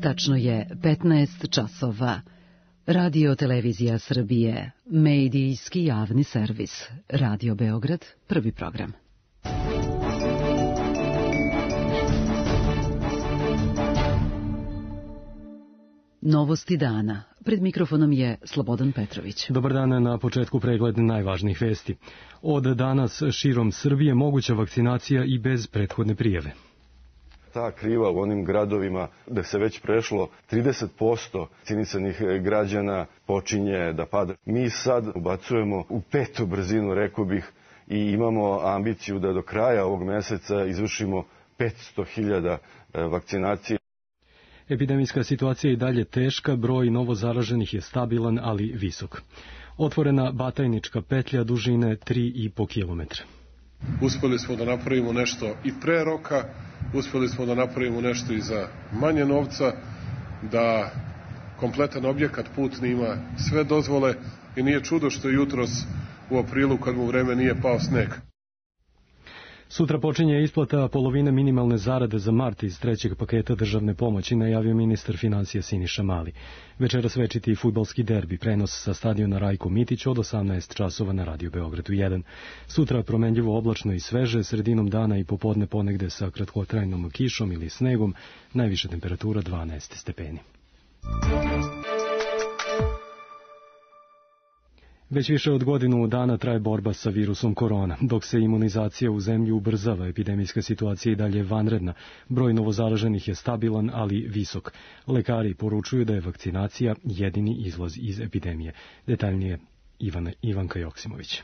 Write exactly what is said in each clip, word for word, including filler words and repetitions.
Tačno je petnaest časova. Radio Televizija Srbije, medijski javni servis. Radio Beograd, prvi program. Novosti dana. Pred mikrofonom je Slobodan Petrović. Dobar dan, na početku pregled najvažnijih vesti. Od danas širom Srbije moguća vakcinacija i bez prethodne prijave. Ta kriva u onim gradovima gde se već prešlo trideset posto vakcinisanih građana počinje da pada. Mi sad ubacujemo u petu brzinu, rekao bih, i imamo ambiciju da do kraja ovog meseca izvršimo petsto hiljada vakcinacije. Epidemijska situacija je i dalje teška, broj novozaraženih je stabilan, ali visok. Otvorena Batajnička petlja dužine tri i po kilometra. Uspeli smo da napravimo nešto i pre roka, uspeli smo da napravimo nešto i za manje novca, da kompletan objekat putni ima sve dozvole i nije čudo što je jutros u aprilu kad mu vreme nije pao sneg. Sutra počinje isplata polovine minimalne zarade za mart iz trećeg paketa državne pomoći, najavio ministar finansija Siniša Mali. Večeras večiti fudbalski derbi, prenos sa stadiona Rajko Mitić od osamnaest časova na Radio Beogradu jedan. Sutra promenljivo oblačno i sveže, sredinom dana i popodne ponegde sa kratkotrajnom kišom ili snegom, najviša temperatura dvanaest stepeni. Već više od godinu dana traje borba sa virusom korona. Dok se imunizacija u zemlji ubrzava, epidemijska situacija i dalje vanredna. Broj novozaraženih je stabilan, ali visok. Lekari poručuju da je vakcinacija jedini izlaz iz epidemije. Detaljnije Ivana, Ivanka Joksimović.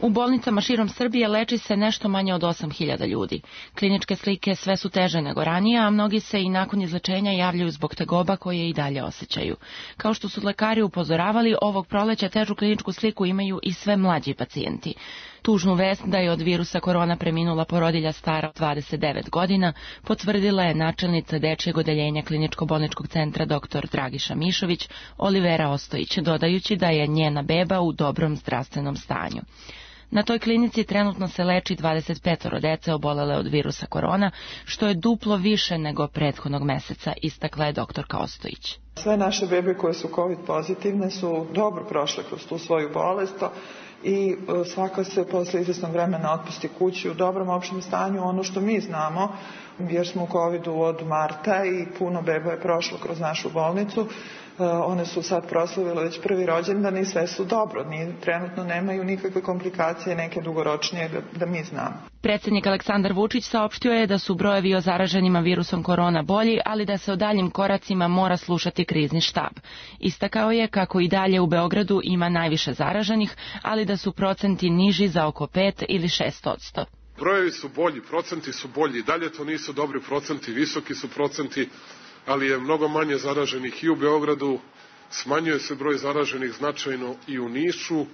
U bolnicama širom Srbije leči se nešto manje od osam hiljada ljudi. Kliničke slike sve su teže nego ranije, a mnogi se i nakon izlečenja javljaju zbog tegoba koje i dalje osjećaju. Kao što su lekari upozoravali, ovog proleća težu kliničku sliku imaju i sve mlađi pacijenti. Tužnu vest da je od virusa korona preminula porodilja stara dvadeset devet godina potvrdila je načelnica dečijeg odeljenja kliničko-bolničkog centra dr Dragiša Mišović, Olivera Ostojić, dodajući da je njena beba u dobrom zdravstvenom stanju. Na toj klinici trenutno se leči dvadeset pet dece obolele od virusa korona, što je duplo više nego prethodnog meseca, istakla je doktorka Ostojić. Sve naše bebe koje su COVID pozitivne su dobro prošle kroz tu svoju bolest i svaka se posle izvesnog vremena otpusti kući u dobrom opštem stanju. Ono što mi znamo, jer smo u covidu od marta i puno beba je prošlo kroz našu bolnicu, one su sad proslavile već prvi rođendan i sve su dobro. Ni, trenutno nemaju nikakve komplikacije, neke dugoročnije da, da mi znamo. Predsjednik Aleksandar Vučić saopštio je da su brojevi o zaraženima virusom korona bolji, ali da se o daljim koracima mora slušati krizni štab. Istakao je kako i dalje u Beogradu ima najviše zaraženih, ali da su procenti niži za oko pet ili šest odsto. Brojevi su bolji, procenti su bolji, dalje to nisu dobri procenti, visoki su procenti, ali je mnogo manje zaraženih i u Beogradu, smanjuje se broj zaraženih značajno i u Nišu,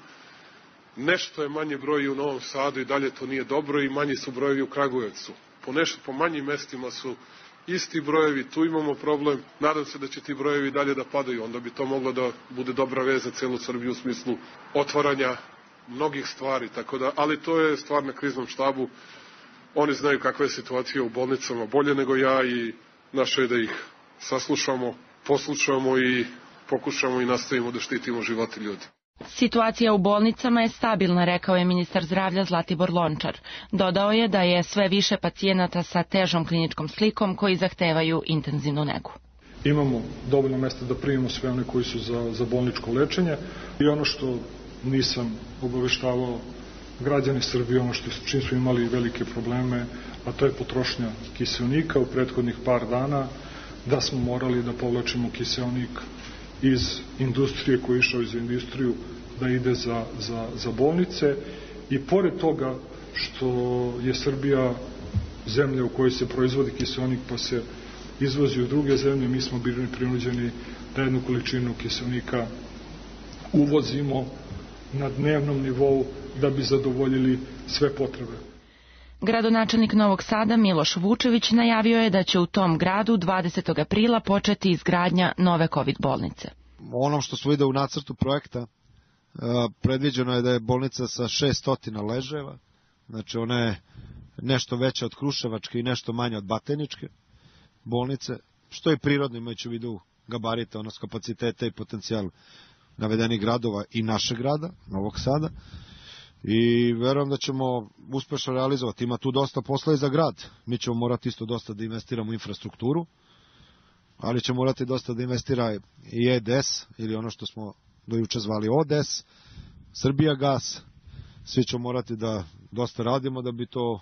nešto je manji broj i u Novom Sadu i dalje to nije dobro i manji su brojevi u Kragujevcu. Po, nešto, po manjim mestima su isti brojevi, tu imamo problem, nadam se da će ti brojevi dalje da padaju, onda bi to moglo da bude dobra veza za celu Srbiju u smislu otvaranja mnogih stvari, tako da, ali to je stvar na kriznom štabu, oni znaju kakva je situacija u bolnicama bolje nego ja i naše je da ih saslušamo, poslušamo i pokušamo i nastavimo da štitimo živote ljudi. Situacija u bolnicama je stabilna, rekao je ministar zdravlja Zlatibor Lončar. Dodao je da je sve više pacijenata sa težom kliničkom slikom koji zahtevaju intenzivnu negu. Imamo dovoljno mesta da primimo sve one koji su za, za bolničko lečenje i ono što nisam obaveštavao građani Srbije, ono što čim smo imali velike probleme, a to je potrošnja kiseonika u prethodnih par dana, da smo morali da povlačimo kiseonik iz industrije koji je išao iz industriju da ide za, za, za bolnice i pored toga što je Srbija zemlja u kojoj se proizvodi kiseonik pa se izvozi u druge zemlje, mi smo bili prinuđeni da jednu količinu kiseonika uvozimo na dnevnom nivou da bi zadovoljili sve potrebe. Gradonačelnik Novog Sada Miloš Vučević najavio je da će u tom gradu dvadesetog aprila početi izgradnja nove COVID bolnice. Ono što smo vidio u nacrtu projekta, predviđeno je da je bolnica sa šessto ležajeva, znači ona je nešto veća od Kruševačke i nešto manja od Batajničke bolnice, što je prirodno imajući u vidu gabarita, odnosno kapaciteta i potencijal navedenih gradova i našeg grada, Novog Sada. I verujem da ćemo uspešno realizovati. Ima tu dosta posla i za grad. Mi ćemo morati isto dosta da investiramo u infrastrukturu, ali ćemo morati dosta da investira i E D S, ili ono što smo do juče zvali O D S, Srbijagas. Svi ćemo morati da dosta radimo da bi to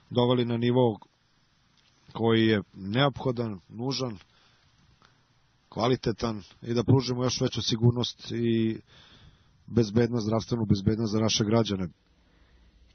doveli na nivo koji je neophodan, nužan, kvalitetan i da pružimo još veću sigurnost i bezbednost, zdravstvenu bezbednost za naše građane.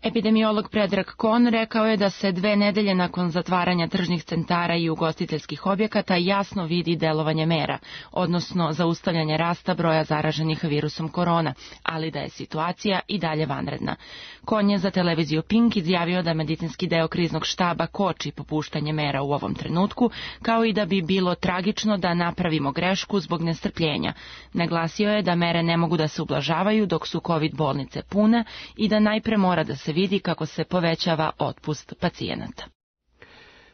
Epidemiolog Predrag Kon rekao je da se dve nedelje nakon zatvaranja tržnih centara i ugostiteljskih objekata jasno vidi delovanje mera, odnosno zaustavljanje rasta broja zaraženih virusom korona, ali da je situacija i dalje vanredna. Kon je za televiziju Pink izjavio da medicinski deo kriznog štaba koči popuštanje mera u ovom trenutku, kao i da bi bilo tragično da napravimo grešku zbog nestrpljenja. Naglasio je da mere ne mogu da se ublažavaju dok su COVID bolnice pune i da najpre mora da se vidi kako se povećava otpust pacijenata.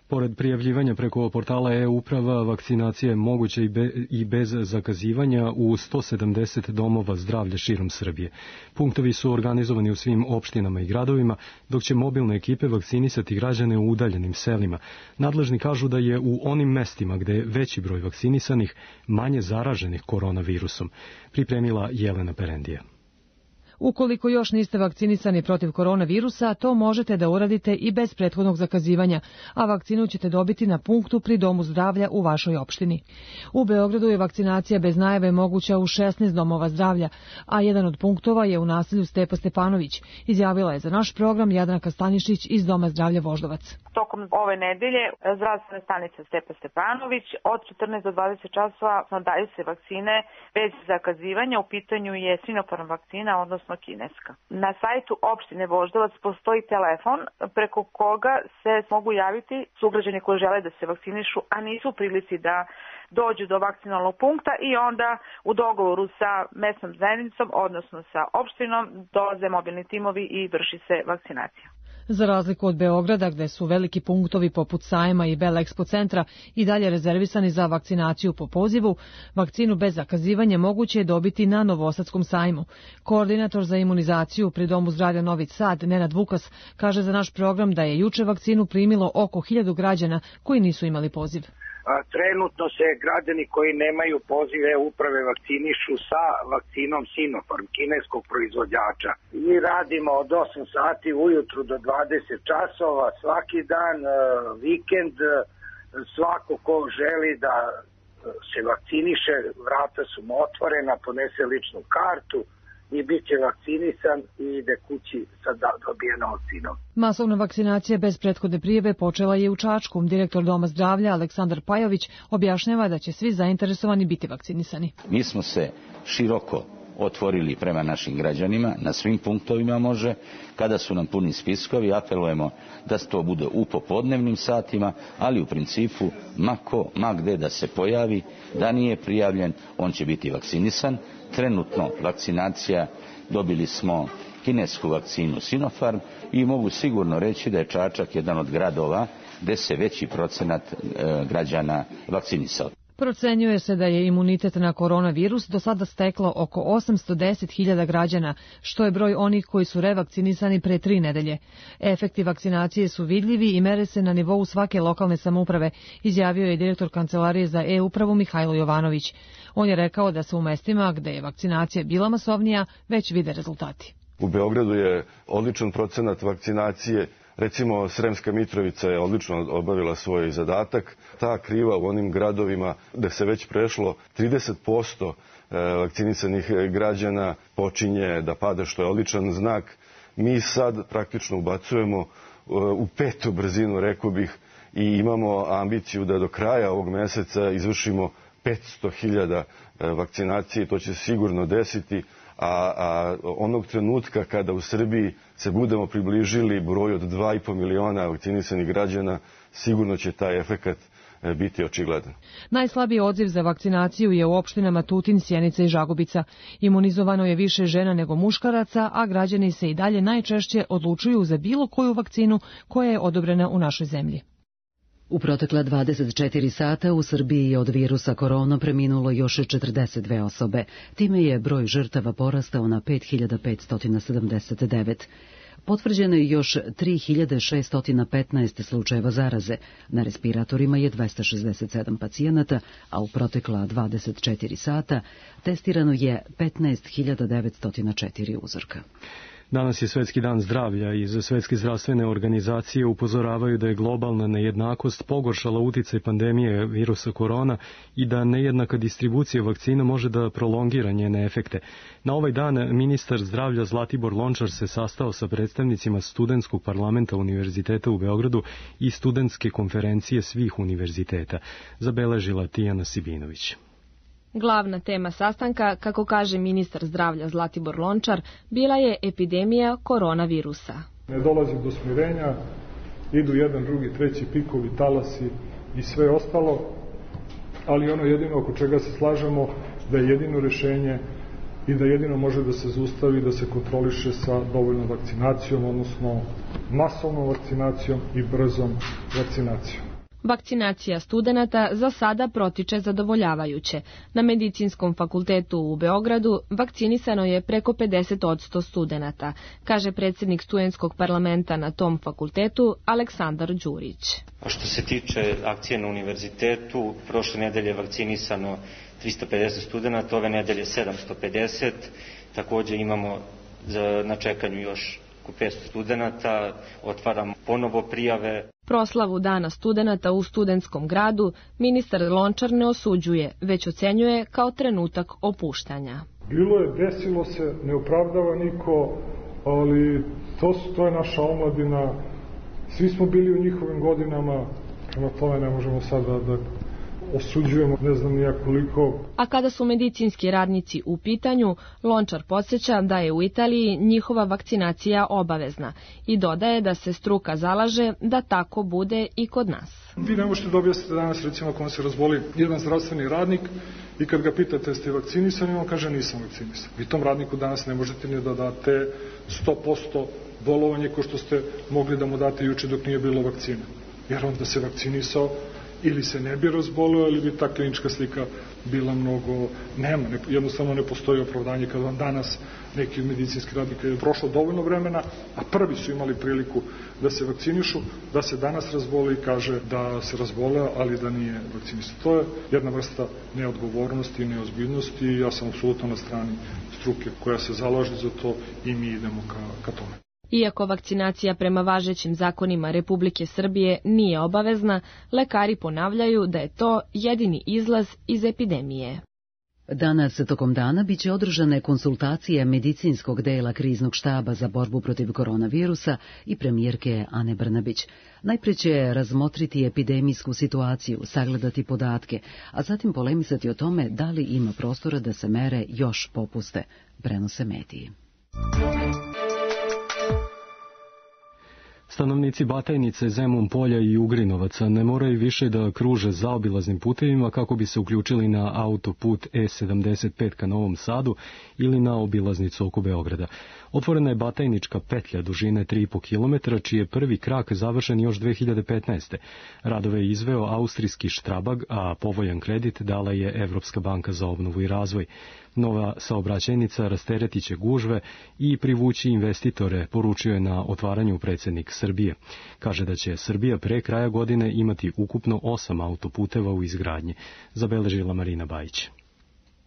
Pored prijavljivanja preko portala e-uprava, vakcinacija je moguća i, be, i bez zakazivanja u sto sedamdeset domova zdravlja širom Srbije. Punktovi su organizovani u svim opštinama i gradovima, dok će mobilne ekipe vakcinisati građane u udaljenim selima. Nadležni kažu da je u onim mestima gde je veći broj vakcinisanih manje zaraženih koronavirusom, pripremila Jelena Perendija. Ukoliko još niste vakcinisani protiv koronavirusa, to možete da uradite i bez prethodnog zakazivanja, a vakcinu ćete dobiti na punktu pri domu zdravlja u vašoj opštini. U Beogradu je vakcinacija bez najave moguća u šesnaest domova zdravlja, a jedan od punktova je u naselju Stepa Stepanović, izjavila je za naš program Jadranka Stanišić iz Doma zdravlja Voždovac. Tokom ove nedelje zdravstvena stanica Stepa Stepanović od četrnaest do dvadeset časova daju se vakcine bez zakazivanja. U pitanju je Sinopharm vakcina, odnosno kineska. Na sajtu opštine Voždovac postoji telefon preko koga se mogu javiti sugrađani koji žele da se vakcinišu, a nisu u prilici da dođu do vakcinalnog punkta i onda u dogovoru sa mesnom zajednicom, odnosno sa opštinom, dolaze mobilni timovi i vrši se vakcinacija. Za razliku od Beograda, gde su veliki punktovi poput Sajma i Bela Expo centra i dalje rezervisani za vakcinaciju po pozivu, vakcinu bez zakazivanja moguće je dobiti na Novosadskom sajmu. Koordinator za imunizaciju pri Domu zdravlja Novi Sad, Nenad Vukas, kaže za naš program da je juče vakcinu primilo oko hiljadu građana koji nisu imali poziv. Trenutno se građani koji nemaju pozive uprave vakcinišu sa vakcinom Sinopharm, kineskog proizvođača. Mi radimo od osam sati ujutru do dvadeset časova, svaki dan, vikend, svako ko želi da se vakciniše, vrata su mu otvorena, ponese ličnu kartu i bit će vakcinisan i ide kući sa dobijenom vakcinom. Masovna vakcinacija bez prethodne prijave počela je u Čačku. Direktor Doma zdravlja Aleksandar Pajović objašnjava da će svi zainteresovani biti vakcinisani. Mi smo se široko otvorili prema našim građanima, na svim punktovima može, kada su nam puni spiskovi, apelujemo da to bude u popodnevnim satima, ali u principu mako, ma gde da se pojavi, da nije prijavljen, on će biti vakcinisan. Trenutno vakcinacija, dobili smo kinesku vakcinu Sinopharm i mogu sigurno reći da je Čačak jedan od gradova gde se veći procenat e, građana vakcinisao. Procenjuje se da je imunitet na koronavirus do sada steklo oko osamsto deset hiljada građana, što je broj onih koji su revakcinisani pre tri nedelje. Efekti vakcinacije su vidljivi i mere se na nivou svake lokalne samouprave, izjavio je direktor Kancelarije za e-upravu Mihajlo Jovanović. On je rekao da se u mestima gde je vakcinacija bila masovnija već vide rezultati. U Beogradu je odličan procenat vakcinacije. Recimo, Sremska Mitrovica je odlično obavila svoj zadatak. Ta kriva u onim gradovima gde se već prešlo trideset posto vakcinisanih građana počinje da pada, što je odličan znak. Mi sad praktično ubacujemo u petu brzinu, rekao bih, i imamo ambiciju da do kraja ovog meseca izvršimo petsto hiljada vakcinacije. To će se sigurno desiti. A, a onog trenutka kada u Srbiji se budemo približili broju od dva i po miliona vakcinisanih građana, sigurno će taj efekat biti očigledan. Najslabiji odziv za vakcinaciju je u opštinama Tutin, Sjenica i Žagubica. Imunizovano je više žena nego muškaraca, a građani se i dalje najčešće odlučuju za bilo koju vakcinu koja je odobrena u našoj zemlji. U protekla dvadeset četiri sata u Srbiji je od virusa korona preminulo još četrdeset dve osobe. Time je broj žrtava porastao na pet hiljada petsto sedamdeset devet. Potvrđeno je još tri hiljade šeststo petnaest slučajeva zaraze. Na respiratorima je dvesta šezdeset sedam pacijenata, a u protekla dvadeset četiri sata testirano je petnaest hiljada devetsto četiri uzorka. Danas je Svetski dan zdravlja i iz Svetske zdravstvene organizacije upozoravaju da je globalna nejednakost pogoršala uticaj pandemije virusa korona i da nejednaka distribucija vakcina može da prolongira njene efekte. Na ovaj dan ministar zdravlja Zlatibor Lončar se sastao sa predstavnicima Studentskog parlamenta Univerziteta u Beogradu i Studentske konferencije svih univerziteta, zabeležila Tijana Sibinović. Glavna tema sastanka, kako kaže ministar zdravlja Zlatibor Lončar, bila je epidemija koronavirusa. Ne dolazi do smirenja, idu jedan, drugi, treći pikovi, talasi i sve ostalo, ali ono jedino oko čega se slažemo da je jedino rešenje i da jedino može da se zaustavi, da se kontroliše sa dovoljnom vakcinacijom, odnosno masovnom vakcinacijom i brzom vakcinacijom. Vakcinacija studenata za sada protiče zadovoljavajuće. Na Medicinskom fakultetu u Beogradu vakcinisano je preko pedeset posto studenata, kaže predsjednik Studentskog parlamenta na tom fakultetu Aleksandar Đurić. A što se tiče akcije na univerzitetu, prošle nedelje je vakcinisano trista pedeset studenata, ove nedelje sedamsto pedeset, također imamo na čekanju još petsto studenata, otvaramo ponovo prijave. Proslavu Dana studenata u studentskom gradu ministar Lončar ne osuđuje, već ocenjuje kao trenutak opuštanja. Bilo je, desilo se, ne opravdava niko, ali to, su, to je naša omladina. Svi smo bili u njihovim godinama, prema tome ne možemo sada da osuđujemo, ne znam nija koliko. A kada su medicinski radnici u pitanju, Lončar podsjeća da je u Italiji njihova vakcinacija obavezna i dodaje da se struka zalaže da tako bude i kod nas. Vi ne možete da objasnite danas, recimo, ako vam se razboli jedan zdravstveni radnik i kad ga pitate jeste vakcinisani, on kaže nisam vakcinisan. Vi tom radniku danas ne možete ni da date sto posto bolovanje ko što ste mogli da mu date juče dok nije bilo vakcine. Jer on da se vakcinisao, ili se ne bi razbolio, ili bi ta klinička slika bila mnogo, nema, ne, jednostavno ne postoji opravdanje kada vam danas neki medicinski radnik je prošlo dovoljno vremena, a prvi su imali priliku da se vakcinišu, da se danas razboli i kaže da se razboleo, ali da nije vakcinisan. To je jedna vrsta neodgovornosti i neozbiljnosti i ja sam apsolutno na strani struke koja se zalaže za to i mi idemo ka, ka tome. Iako vakcinacija prema važećim zakonima Republike Srbije nije obavezna, lekari ponavljaju da je to jedini izlaz iz epidemije. Danas tokom dana biće održane konsultacije medicinskog dela kriznog štaba za borbu protiv koronavirusa i premijerke Ane Brnabić. Najprije će razmotriti epidemijsku situaciju, sagledati podatke, a zatim polemisati o tome da li ima prostora da se mere još popuste, prenose mediji. Stanovnici Batajnice, Zemun polja i Ugrinovaca ne moraju više da kruže zaobilaznim putevima kako bi se uključili na autoput E sedamdeset pet ka Novom Sadu ili na obilaznicu oko Beograda. Otvorena je Batajnička petlja dužine tri i po kilometra, čiji je prvi krak završen još dve hiljade petnaeste. Radove je izveo austrijski Štrabag, a povoljan kredit dala je Evropska banka za obnovu i razvoj. Nova saobraćajnica rasteretiće gužve i privući investitore, poručio je na otvaranju predsjednik Srbije. Kaže da će Srbija pre kraja godine imati ukupno osam autoputeva u izgradnji, zabeležila Marina Bajić.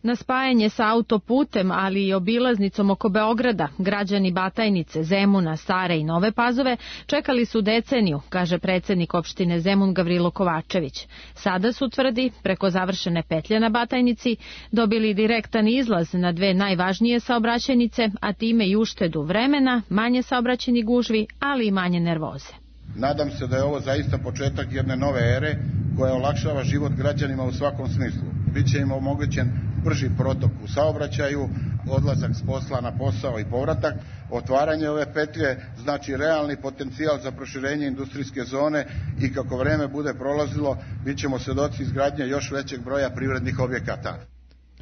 Na spajanje sa autoputem, ali i obilaznicom oko Beograda, građani Batajnice, Zemuna, Stare i Nove Pazove čekali su deceniju, kaže predsjednik opštine Zemun Gavrilo Kovačević. Sada su, tvrdi, preko završene petlje na Batajnici, dobili direktan izlaz na dve najvažnije saobraćajnice, a time i uštedu vremena, manje saobraćajnih gužvi, ali i manje nervoze. Nadam se da je ovo zaista početak jedne nove ere koja olakšava život građanima u svakom smislu. Biće im omogućen brži protok u saobraćaju, odlazak s posla na posao i povratak. Otvaranje ove petlje znači realni potencijal za proširenje industrijske zone i kako vreme bude prolazilo, bit ćemo svedoci izgradnje još većeg broja privrednih objekata.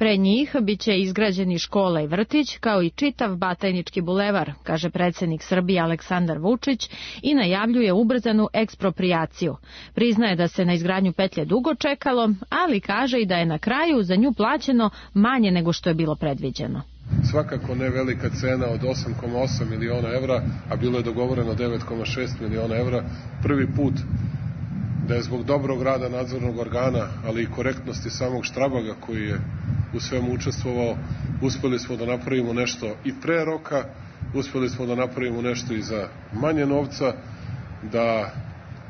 Pre njih biće izgrađeni škola i vrtić, kao i čitav Batajnički bulevar, kaže predsjednik Srbije Aleksandar Vučić i najavljuje ubrzanu eksproprijaciju. Priznaje da se na izgradnju petlje dugo čekalo, ali kaže i da je na kraju za nju plaćeno manje nego što je bilo predviđeno. Svakako ne velika cena od osam zarez osam miliona evra, a bilo je dogovoreno devet zarez šest miliona evra. Prvi put da je zbog dobrog rada nadzornog organa, ali i korektnosti samog Štrabaga koji je u svemu učestvovao, uspeli smo da napravimo nešto i pre roka, uspeli smo da napravimo nešto i za manje novca, da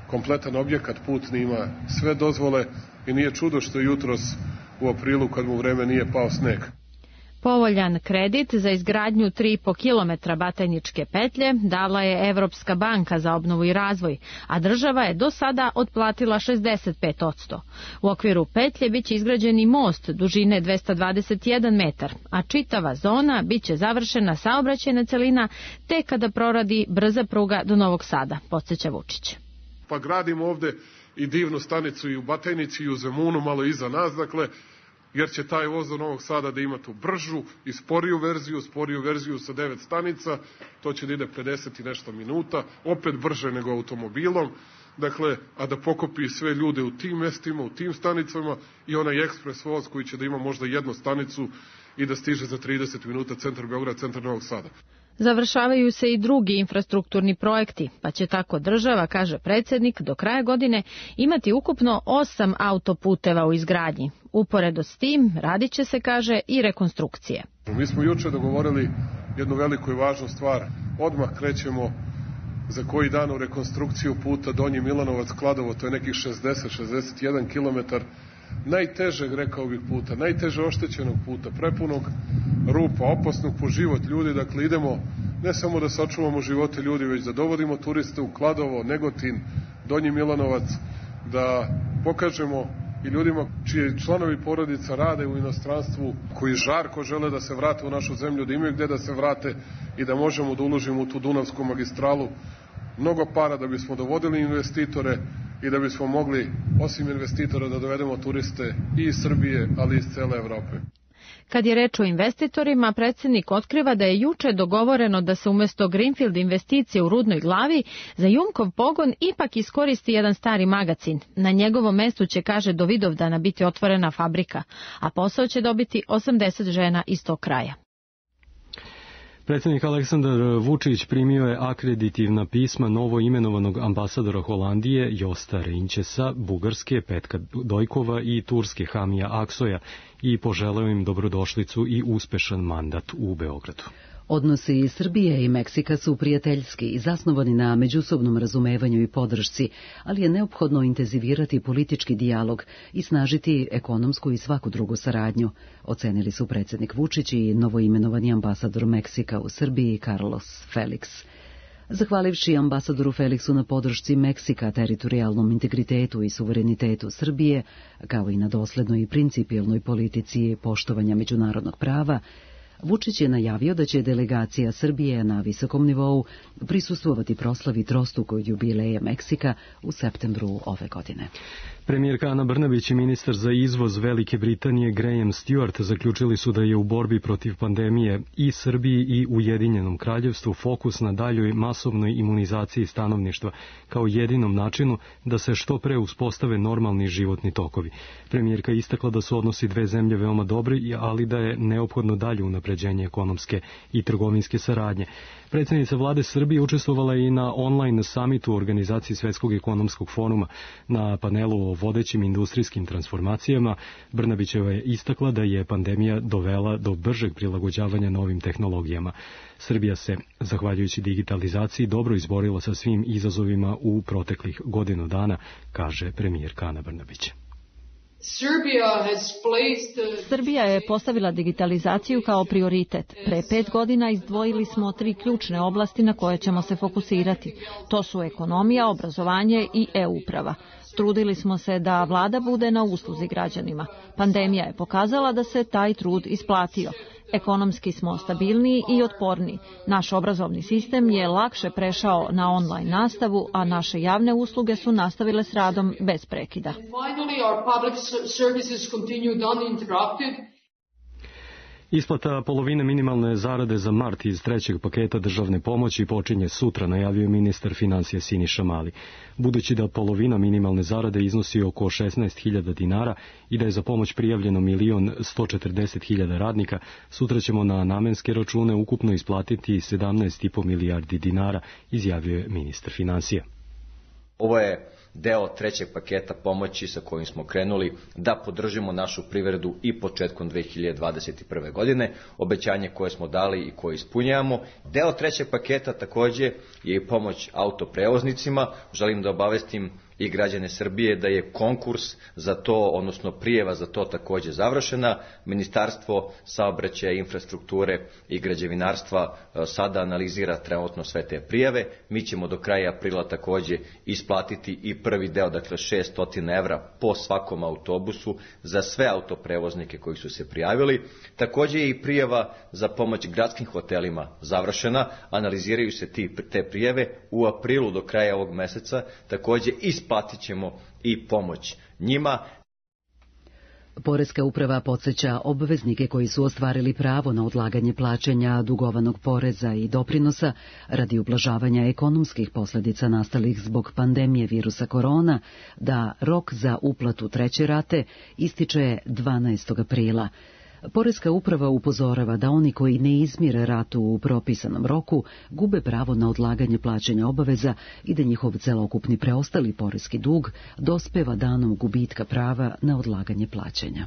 kompletan objekat putni ima sve dozvole i nije čudo što je jutros u aprilu kad mu vreme nije pao sneg. Povoljan kredit za izgradnju tri i po kilometra Batajničke petlje dala je Evropska banka za obnovu i razvoj, a država je do sada otplatila šezdeset pet posto. U okviru petlje biće izgrađen i most dužine dvesta dvadeset jedan metar, a čitava zona biće završena saobraćajna celina tek kada proradi brza pruga do Novog Sada, podsjeća Vučić. Pa gradimo ovde i divnu stanicu i u Batajnici i u Zemunu, malo iza nas, dakle, jer će taj voz do Novog Sada da ima tu bržu i sporiju verziju, sporiju verziju sa devet stanica, to će da ide pedeset i nešto minuta, opet brže nego automobilom, dakle, a da pokopi sve ljude u tim mestima, u tim stanicama i onaj ekspres voz koji će da ima možda jednu stanicu i da stiže za trideset minuta centar Beograda, centar Novog Sada. Završavaju se i drugi infrastrukturni projekti, pa će tako država, kaže predsjednik, do kraja godine imati ukupno osam autoputeva u izgradnji. Uporedo s tim radit će se, kaže, i rekonstrukcije. Mi smo juče dogovorili jednu veliku i važnu stvar. Odmah krećemo za koji dan u rekonstrukciju puta Donji Milanovac-Kladovo, to je nekih šezdeset do šezdeset jedan kilometar najtežeg, rekao bih, puta, najteže oštećenog puta, prepunog rupa, opasnog po život ljudi. Dakle, idemo ne samo da sačuvamo živote ljudi, već da dovodimo turiste u Kladovo, Negotin, Donji Milanovac, da pokažemo i ljudima čiji članovi porodica rade u inostranstvu, koji žarko žele da se vrate u našu zemlju, da imaju gde da se vrate i da možemo da uložimo u tu Dunavsku magistralu mnogo para da bismo dovodili investitore i da bismo mogli, osim investitora, da dovedemo turiste i iz Srbije, ali i iz cele Evrope. Kad je reč o investitorima, predsjednik otkriva da je juče dogovoreno da se umjesto Greenfield investicije u Rudnoj Glavi za Jumkov pogon ipak iskoristi jedan stari magacin. Na njegovom mestu će, kaže, do Vidovdana biti otvorena fabrika, a posao će dobiti osamdeset žena iz tog kraja. Predsjednik Aleksandar Vučić primio je akreditivna pisma novo imenovanog ambasadora Holandije Josta Reinčesa, Bugarske Petka Dojkova i Turske Hamija Aksoja i poželeo im dobrodošlicu i uspešan mandat u Beogradu. Odnosi Srbije i Meksika su prijateljski i zasnovani na međusobnom razumevanju i podršci, ali je neophodno intenzivirati politički dijalog i snažiti ekonomsku i svaku drugu saradnju, ocenili su predsjednik Vučić i novoimenovani ambasador Meksika u Srbiji Carlos Felix. Zahvalivši ambasadoru Felixu na podršci Meksika teritorijalnom integritetu i suverenitetu Srbije, kao i na doslednoj i principijelnoj politici poštovanja međunarodnog prava, Vučić je najavio da će delegacija Srbije na visokom nivou prisustvovati proslavi trostukog jubileja Meksika u septembru ove godine. Premijerka Ana Brnabić i ministar za izvoz Velike Britanije Graham Stewart zaključili su da je u borbi protiv pandemije i Srbiji i Ujedinjenom kraljevstvu fokus na daljoj masovnoj imunizaciji stanovništva kao jedinom načinu da se što pre uspostave normalni životni tokovi. Premijerka istakla da su odnosi dve zemlje veoma dobri, ali da je neophodno dalje unapređenje ekonomske i trgovinske saradnje. Predsjednica vlade Srbije učestvovala i na online samitu u organizaciji Svetskog ekonomskog foruma. Na panelu o vodećim industrijskim transformacijama Brnabićeva je istakla da je pandemija dovela do bržeg prilagođavanja novim tehnologijama. Srbija se, zahvaljujući digitalizaciji, dobro izborila sa svim izazovima u proteklih godinu dana, kaže premijerka Ana Brnabić. Srbija je postavila digitalizaciju kao prioritet. Pre pet godina izdvojili smo tri ključne oblasti na koje ćemo se fokusirati. To su ekonomija, obrazovanje i e-uprava. Trudili smo se da vlada bude na usluzi građanima. Pandemija je pokazala da se taj trud isplatio. Ekonomski smo stabilniji i otporniji. Naš obrazovni sistem je lakše prešao na online nastavu, a naše javne usluge su nastavile s radom bez prekida. Isplata polovine minimalne zarade za mart iz trećeg paketa državne pomoći počinje sutra, najavio je ministar financija Siniša Mali. Budući da polovina minimalne zarade iznosi oko šesnaest hiljada dinara i da je za pomoć prijavljeno milion sto četrdeset hiljada radnika, sutra ćemo na namenske račune ukupno isplatiti sedamnaest i po milijardi dinara, izjavio je ministar financija. Ovo je deo trećeg paketa pomoći sa kojim smo krenuli da podržimo našu privredu i početkom dve hiljade dvadeset prve. godine, obećanje koje smo dali i koje ispunjavamo. Deo trećeg paketa takođe je i pomoć autoprevoznicima. Želim da obavestim i građane Srbije da je konkurs za to, odnosno prijava za to takođe završena. Ministarstvo saobraćaja, infrastrukture i građevinarstva sada analizira trenutno sve te prijave. Mi ćemo do kraja aprila takođe isplatiti i prvi deo, dakle šessto evra po svakom autobusu za sve autoprevoznike koji su se prijavili. Takođe je i prijava za pomoć gradskim hotelima završena. Analiziraju se ti, te prijave u aprilu do kraja ovog meseca. Takođe isplatit ćemo i pomoć njima. Poreska uprava podsjeća obveznike koji su ostvarili pravo na odlaganje plaćanja dugovanog poreza i doprinosa radi ublažavanja ekonomskih posljedica nastalih zbog pandemije virusa korona da rok za uplatu treće rate ističe dvanaestog aprila. Poreska uprava upozorava da oni koji ne izmire ratu u propisanom roku gube pravo na odlaganje plaćanja obaveza i da njihov celokupni preostali poreski dug dospeva danom gubitka prava na odlaganje plaćanja.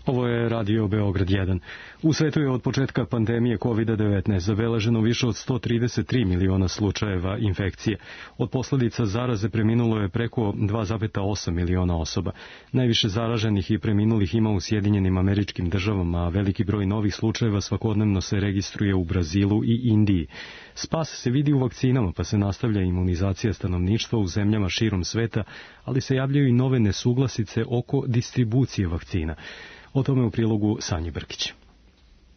Ovo je Radio Beograd jedan. U svetu je od početka pandemije kovid devetnaest zabeleženo više od sto trideset tri miliona slučajeva infekcije. Od posljedica zaraze preminulo je preko dva zarez osam miliona osoba. Najviše zaraženih i preminulih ima u Sjedinjenim Američkim Državama, a veliki broj novih slučajeva svakodnevno se registruje u Brazilu i Indiji. Spas se vidi u vakcinama, pa se nastavlja imunizacija stanovništva u zemljama širom sveta, ali se javljaju i nove nesuglasice oko distribucije vakcina. O tome u prilogu Sanji Brkić.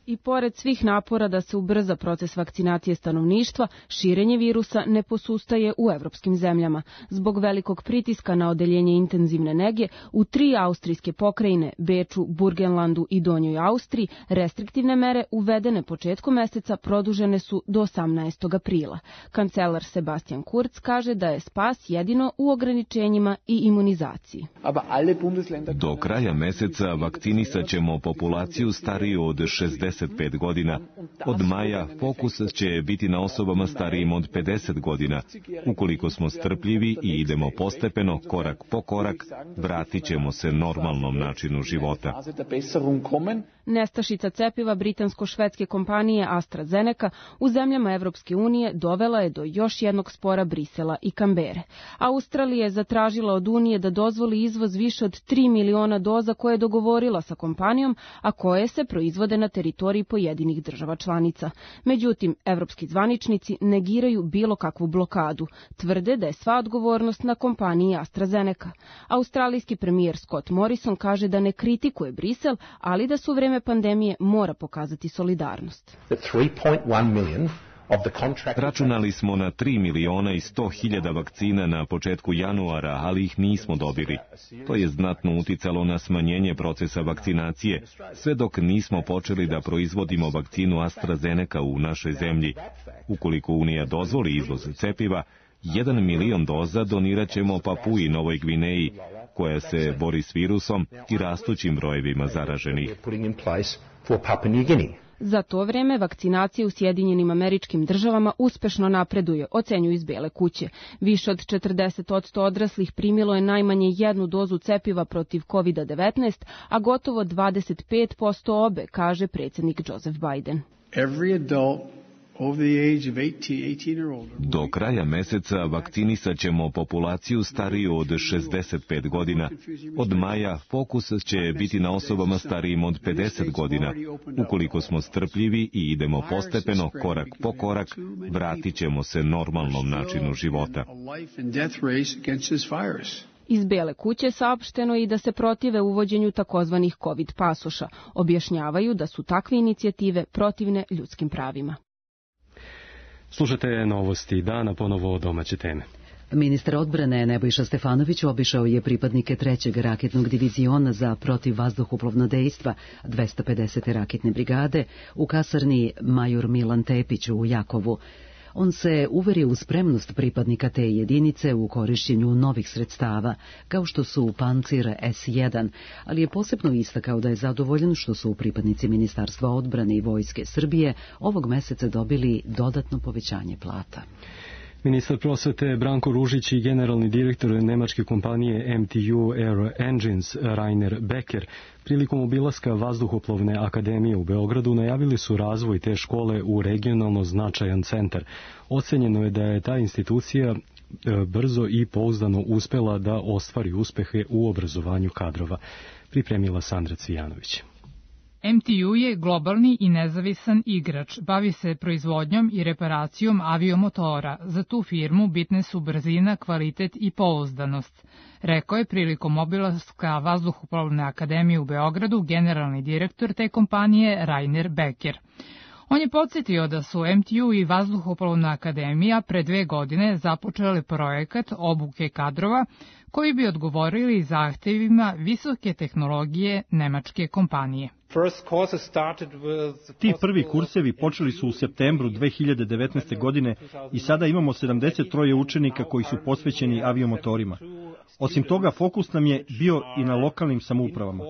I pored svih napora da se ubrza proces vakcinacije stanovništva, širenje virusa ne posustaje u evropskim zemljama. Zbog velikog pritiska na odeljenje intenzivne nege, u tri austrijske pokrajine, Beču, Burgenlandu i Donjoj Austriji, restriktivne mere uvedene početkom meseca produžene su do osamnaestog aprila. Kancelar Sebastian Kurz kaže da je spas jedino u ograničenjima i imunizaciji. Do kraja meseca vakcinisat ćemo populaciju stariju od šezdeset pet godina. Od maja fokus će biti na osobama starijim od pedeset godina. Ukoliko smo strpljivi i idemo postepeno, korak po korak, vratit ćemo se normalnom načinu života. Nestašica cepiva britansko-švedske kompanije AstraZeneca u zemljama Evropske unije dovela je do još jednog spora Brisela i Kambere. Australija je zatražila od Unije da dozvoli izvoz više od tri miliona doza koje je dogovorila sa kompanijom, a koje se proizvode na teritoriji pojedinih država članica. Međutim, evropski zvaničnici negiraju bilo kakvu blokadu. Tvrde da je sva odgovornost na kompaniji AstraZeneca. Australijski premijer Scott Morrison kaže da ne kritikuje Brisel, ali da su u vreme pandemije mora pokazati solidarnost. Računali smo na tri miliona i sto hiljada vakcina na početku januara, ali ih nismo dobili. To je znatno uticalo na smanjenje procesa vakcinacije, sve dok nismo počeli da proizvodimo vakcinu AstraZeneca u našoj zemlji. Ukoliko Unija dozvoli izvoz cepiva, jedan milion doza donirat ćemo Papui Novoj Gvineji, koja se bori s virusom i rastućim brojevima zaraženih. Za to vreme vakcinacija u Sjedinjenim Američkim Državama uspešno napreduje, ocenjuju iz Bele kuće. Više od četrdeset posto odraslih primilo je najmanje jednu dozu cepiva protiv kovid devetnaest, a gotovo dvadeset pet posto obe, kaže predsjednik Joseph Biden. Do kraja meseca vakcinisat ćemo populaciju stariju od šezdeset pet godina. Od maja fokus će biti na osobama starijim od pedeset godina. Ukoliko smo strpljivi i idemo postepeno, korak po korak, vratit ćemo se normalnom načinu života. Iz Bele kuće saopšteno i da se protive uvođenju takozvanih COVID pasoša. Objašnjavaju da su takve inicijative protivne ljudskim pravima. Slušate novosti dana, ponovo domaće teme. Ministar odbrane Nebojša Stefanović obišao je pripadnike trećeg raketnog diviziona za protivvazduhoplovno dejstva dvesta pedesete raketne brigade u kasarni Major Milan Tepić u Jakovu. On se uverio u spremnost pripadnika te jedinice u korišćenju novih sredstava, kao što su Pancir S jedan, ali je posebno istakao da je zadovoljan što su pripadnici Ministarstva odbrane i Vojske Srbije ovog meseca dobili dodatno povećanje plata. Ministar prosvete Branko Ružić i generalni direktor nemačke kompanije M T U Aero Engines Rainer Becker prilikom obilaska Vazduhoplovne akademije u Beogradu najavili su razvoj te škole u regionalno značajan centar. Ocenjeno je da je ta institucija brzo i pouzdano uspela da ostvari uspehe u obrazovanju kadrova. Pripremila Sandra Cvijanović. M T U je globalni i nezavisan igrač, bavi se proizvodnjom i reparacijom aviomotora. Za tu firmu bitne su brzina, kvalitet i pouzdanost, rekao je prilikom obilaska Vazduhoplovne akademije u Beogradu generalni direktor te kompanije Rainer Becker. On je podsjetio da su M T U i Vazduhoplovna akademija pre dve godine započeli projekat obuke kadrova koji bi odgovorili zahtevima visoke tehnologije nemačke kompanije. Ti prvi kursevi počeli su u septembru dve hiljade devetnaeste. godine i sada imamo sedamdeset tri učenika koji su posvećeni aviomotorima. Osim toga, fokus nam je bio i na lokalnim samoupravama.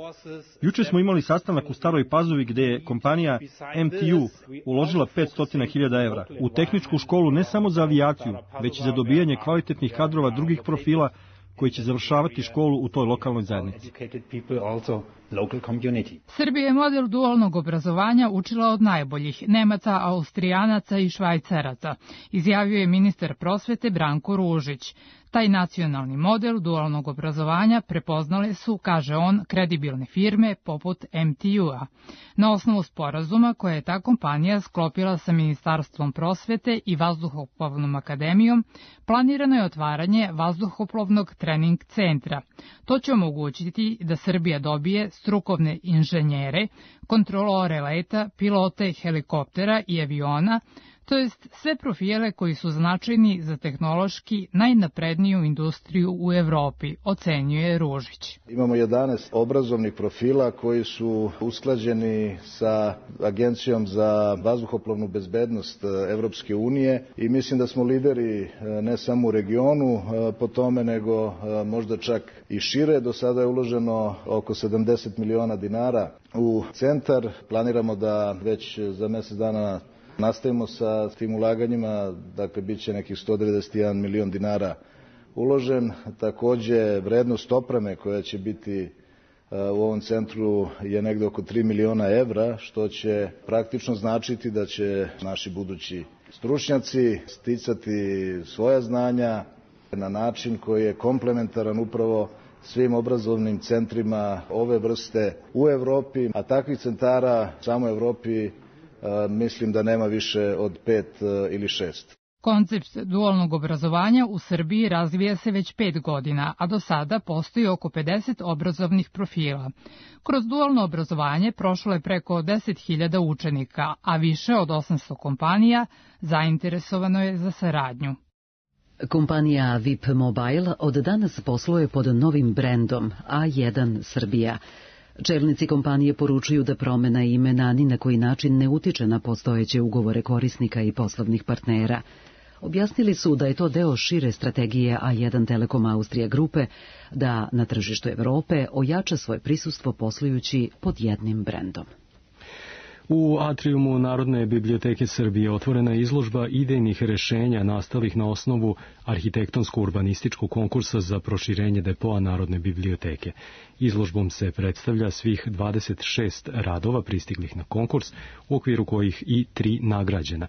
Juče smo imali sastanak u Staroj Pazovi gde je kompanija M T U uložila petsto hiljada evra u tehničku školu ne samo za avijaciju, već i za dobijanje kvalitetnih kadrova drugih profila koji će završavati školu u toj lokalnoj zajednici. Srbija je model dualnog obrazovanja učila od najboljih Nemaca, Austrijanaca i Švajcaraca, izjavio je ministar prosvete Branko Ružić. Taj nacionalni model dualnog obrazovanja prepoznale su, kaže on, kredibilne firme poput M T U-a. Na osnovu sporazuma koje je ta kompanija sklopila sa Ministarstvom prosvete i Vazduhoplovnom akademijom, planirano je otvaranje Vazduhoplovnog trening centra. To će omogućiti da Srbija dobije strukovne inženjere, kontrolore leta, pilote helikoptera i aviona, to jest sve profile koji su značajni za tehnološki najnapredniju industriju u Evropi, ocenjuje Ružić. Imamo jedanaest obrazovnih profila koji su usklađeni sa Agencijom za vazduhoplovnu bezbednost Evropske unije i mislim da smo lideri ne samo u regionu po tome, nego možda čak i šire. Do sada je uloženo oko sedamdeset miliona dinara u centar. Planiramo da već za mesec dana nastavimo sa tim ulaganjima, dakle bit će nekih sto devedeset jedan milion dinara uložen. Takođe, vrednost opreme koja će biti u ovom centru je negde oko tri miliona evra, što će praktično značiti da će naši budući stručnjaci sticati svoja znanja na način koji je komplementaran upravo svim obrazovnim centrima ove vrste u Evropi, a takvih centara samo u Evropi mislim da nema više od pet ili šest. Koncept dualnog obrazovanja u Srbiji razvija se već pet godina, a do sada postoji oko pedeset obrazovnih profila. Kroz dualno obrazovanje prošlo je preko deset hiljada učenika, a više od osamsto kompanija zainteresovano je za saradnju. Kompanija V I P Mobile od danas posluje pod novim brendom A jedan Srbija. Čelnici kompanije poručuju da promena imena ni na koji način ne utiče na postojeće ugovore korisnika i poslovnih partnera. Objasnili su da je to deo šire strategije A jedan Telekom Austrija grupe da na tržištu Evrope ojača svoje prisustvo poslujući pod jednim brendom. U atrijumu Narodne biblioteke Srbije otvorena je izložba idejnih rešenja nastalih na osnovu arhitektonsko-urbanističkog konkursa za proširenje depoa Narodne biblioteke. Izložbom se predstavlja svih dvadeset šest radova pristiglih na konkurs, u okviru kojih i tri nagrađena.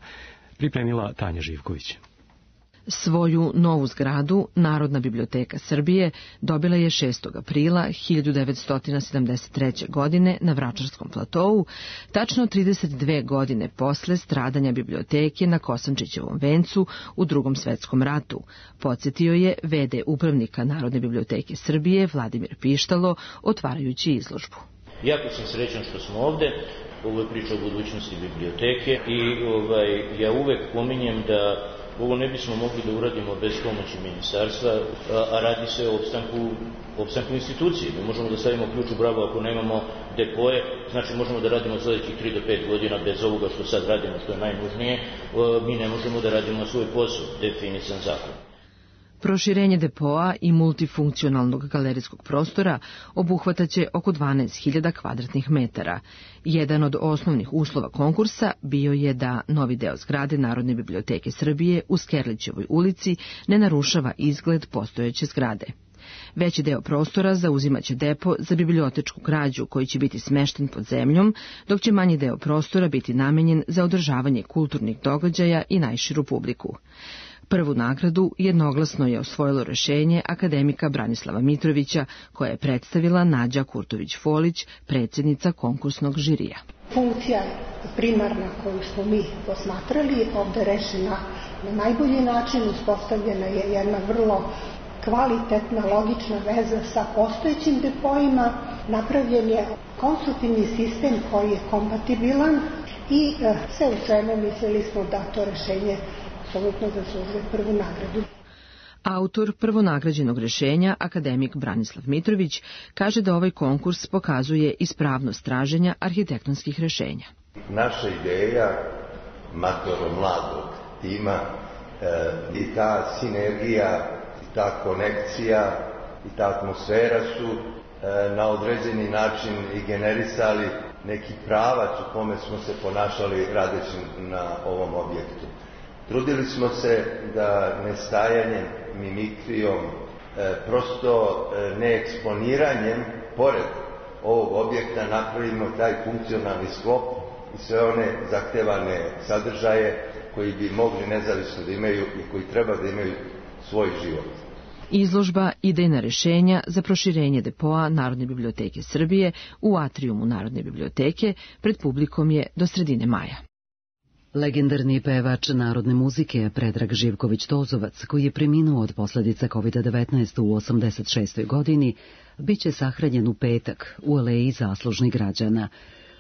Pripremila Tanja Živković. Svoju novu zgradu Narodna biblioteka Srbije dobila je šestog aprila hiljadu devetsto sedamdeset treće. godine na Vračarskom platovu, tačno trideset dve godine posle stradanja biblioteke na Kosančićevom vencu u Drugom svetskom ratu, podsjetio je ve de upravnika Narodne biblioteke Srbije Vladimir Pištalo otvarajući izložbu. Jako sam srećan što smo ovde. Ovo je priča o budućnosti biblioteke i ovaj, ja uvek pominjem da Ovo ne bismo mogli da uradimo bez pomoći ministarstva, a radi se o opstanku, opstanku institucije. Mi možemo da stavimo ključ u bravu ako nemamo depoje, znači možemo da radimo sledećih tri do pet godina bez ovoga što sad radimo, što je najnužnije, mi ne možemo da radimo svoj posao, definisan zakon. Proširenje depoa i multifunkcionalnog galerijskog prostora obuhvataće oko dvanaest hiljada kvadratnih metara. Jedan od osnovnih uslova konkursa bio je da novi deo zgrade Narodne biblioteke Srbije u Skerlićevoj ulici ne narušava izgled postojeće zgrade. Veći deo prostora zauzimaće depo za bibliotečku građu koji će biti smešten pod zemljom, dok će manji deo prostora biti namenjen za održavanje kulturnih događaja i najširu publiku. Prvu nagradu jednoglasno je osvojilo rešenje akademika Branislava Mitrovića, koja je predstavila Nađa Kurtović-Folić, predsjednica konkursnog žirija. Funkcija primarna koju smo mi posmatrali ovde rešena na najbolji način, uspostavljena je jedna vrlo kvalitetna, logična veza sa postojećim depoima, napravljen je konstruktivni sistem koji je kompatibilan i sve u svemu mislili smo da to rešenje apsolutno zaslužuje prvu nagradu. Autor prvonagrađenog rešenja, akademik Branislav Mitrović, kaže da ovaj konkurs pokazuje ispravnost traženja arhitektonskih rešenja. Naša ideja matoro mladog tima e, i ta sinergija, i ta konekcija i ta atmosfera su e, na određeni način i generisali neki pravac u kome smo se ponašali radeći na ovom objektu. Trudili smo se da nestajanjem, mimikrijom, e, prosto e, neeksponiranjem, pored ovog objekta napravimo taj funkcionalni sklop i sve one zahtevane sadržaje koji bi mogli nezavisno da imaju i koji treba da imaju svoj život. Izložba idejna rešenja za proširenje depoa Narodne biblioteke Srbije u atrijumu Narodne biblioteke pred publikom je do sredine maja. Legendarni pevač narodne muzike Predrag Živković-Tozovac, koji je preminuo od posledica kovid devetnaest u osamdeset šestoj godini, biće sahranjen u petak u aleji zaslužnih građana.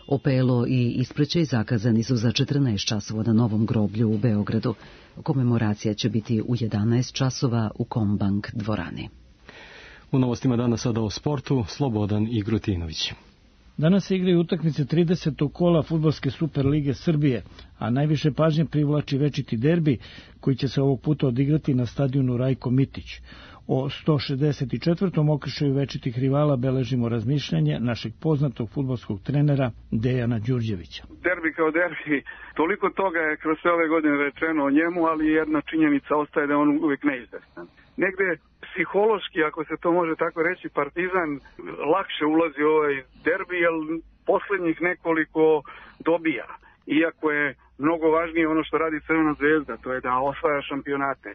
Opelo i ispraćaj zakazani su za četrnaest časova na Novom groblju u Beogradu. Komemoracija će biti u jedanaest časova u Kombank dvorani. U novostima danas sada o sportu, Slobodan Igrutinović. Danas se igraju utakmice tridesetog kola Fudbalske Super lige Srbije, a najviše pažnje privlači večiti derbi koji će se ovog puta odigrati na stadionu Rajko Mitić. O sto šezdeset četvrtom okršaju večitih rivala beležimo razmišljanje našeg poznatog fudbalskog trenera Dejana Đurđevića. Derbi kao derbi, toliko toga je kroz sve ove godine rečeno o njemu, ali jedna činjenica ostaje da je on uvijek neizvestan. Negde psihološki, ako se to može tako reći, Partizan lakše ulazi u ovaj derbi, jer poslednjih nekoliko dobija. Iako je mnogo važnije ono što radi Crvena zvezda, to je da osvaja šampionate.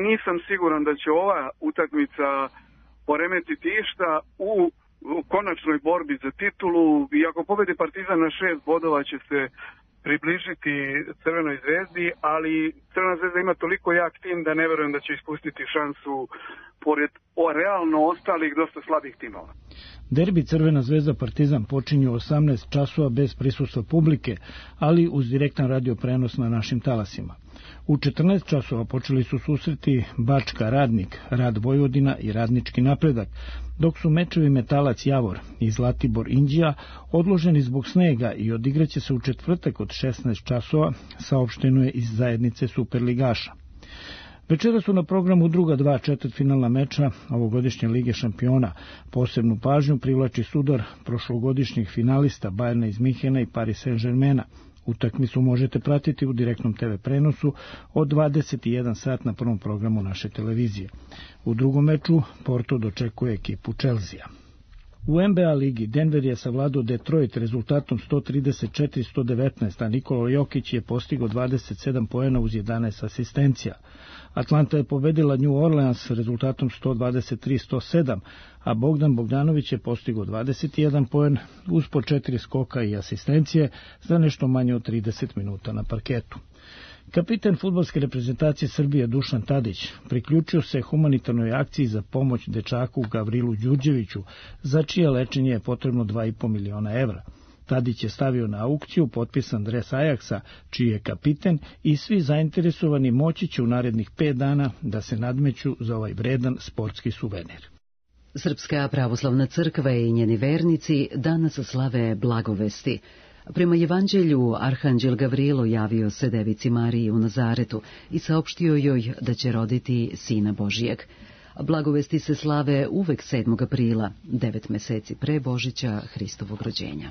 Nisam siguran da će ova utakmica poremetiti išta u konačnoj borbi za titulu, i ako pobedi Partizan na šest bodova će se približiti Crvenoj zvezdi, ali Crvena zvezda ima toliko jak tim da ne verujem da će ispustiti šansu pored o realno ostalih dosta slabih timova. Derbi Crvena zvezda Partizan počinju osamnaest časova bez prisustva publike, ali uz direktan radio prenos na našim talasima. U četrnaest časova počeli su susreti Bačka Radnik, Rad Vojvodina i Radnički napredak, dok su mečevi Metalac Javor i Zlatibor Inđija odloženi zbog snega i odigraće se u četvrtak od šesnaest časova, saopšteno je iz zajednice Superligaša. Večera su na programu druga dva četvrtfinalna meča ovogodišnje Lige šampiona. Posebnu pažnju privlači sudar prošlogodišnjih finalista Bajerna iz Minhena i Paris Saint-Germaina. Utakmicu možete pratiti u direktnom te ve prenosu od dvadeset jedan sat na prvom programu naše televizije. U drugom meču Porto dočekuje ekipu Chelsea. U en be a ligi Denver je savladao Detroit rezultatom sto trideset četiri sto devetnaest, a Nikola Jokić je postigao dvadeset sedam poena uz jedanaest asistencija. Atlanta je pobedila New Orleans rezultatom sto dvadeset tri sto sedam, a Bogdan Bogdanović je postigao dvadeset jedan poen uz po četiri skoka i asistencije za nešto manje od trideset minuta na parketu. Kapiten fudbalske reprezentacije Srbije Dušan Tadić priključio se humanitarnoj akciji za pomoć dečaku Gavrilu Đurđeviću, za čije lečenje je potrebno dva i po miliona evra. Tadić je stavio na aukciju potpisan dres Ajaksa, čiji je kapiten, i svi zainteresovani moći će u narednih pet dana da se nadmeću za ovaj vredan sportski suvenir. Srpska pravoslavna crkva i njeni vernici danas slave blagovesti. Prema Evanđelju, arhanđel Gavrilo javio se devici Mariji u Nazaretu i saopštio joj da će roditi Sina Božijeg. Blagovesti se slave uvek sedmog aprila, devet meseci pre Božića Hristovog rođenja.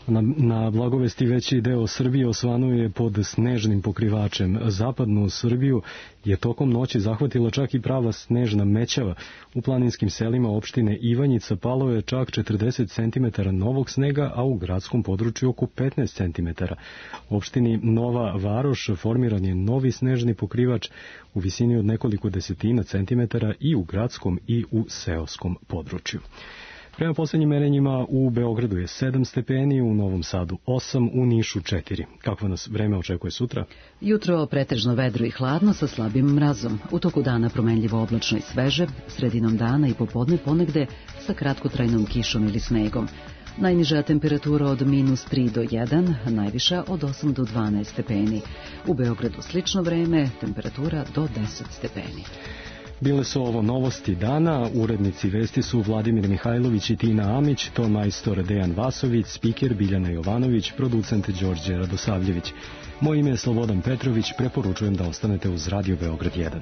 Na, na blagovesti veći deo Srbije osvanuje pod snežnim pokrivačem. Zapadnu Srbiju je tokom noći zahvatila čak i prava snežna mećava. U planinskim selima opštine Ivanjica palo je čak četrdeset centimetara novog snega, a u gradskom području oko petnaest centimetara. U opštini Nova Varoš formiran je novi snežni pokrivač u visini od nekoliko desetina centimetara i u gradskom i u seoskom području. Prema poslednjim merenjima u Beogradu je sedam stepeni, u Novom Sadu osam, u Nišu četiri. Kakvo nas vreme očekuje sutra? Jutro pretežno vedro i hladno sa slabim mrazom. U toku dana promenljivo oblačno i sveže, sredinom dana i popodne ponegde sa kratkotrajnom kišom ili snegom. Najniža temperatura od minus tri do jedan, najviša od osam do dvanaest stepeni. U Beogradu slično vreme, temperatura do deset stepeni. Bile su ovo novosti dana, urednici vesti su Vladimir Mihajlović i Tina Amić, ton majstor Dejan Vasović, spiker Biljana Jovanović, producent Đorđe Radosavljević. Moje ime je Slobodan Petrović, preporučujem da ostanete uz Radio Beograd jedan.